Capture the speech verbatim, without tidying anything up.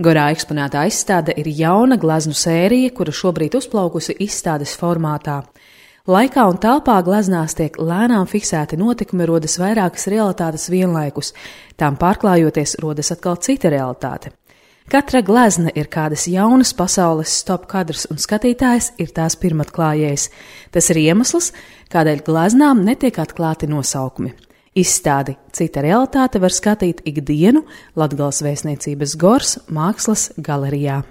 Gorā eksponētā izstāde ir jauna gleznu sērija, kura šobrīd uzplaukusi izstādes formātā. Laikā un telpā gleznās tiek lēnām fiksēti notikumi, rodas vairākas realitātes vienlaikus, tām pārklājoties rodas atkal cita realitāte. Katra glezna ir kādas jaunas pasaules stop kadrs, un skatītājs ir tās pirmatklājējs. Tas ir iemesls, kādēļ gleznām netiek atklāti nosaukumi. Izstādi Cita realitāte var skatīt ikdienu Latgales Vēstniecības Gors mākslas galerijā.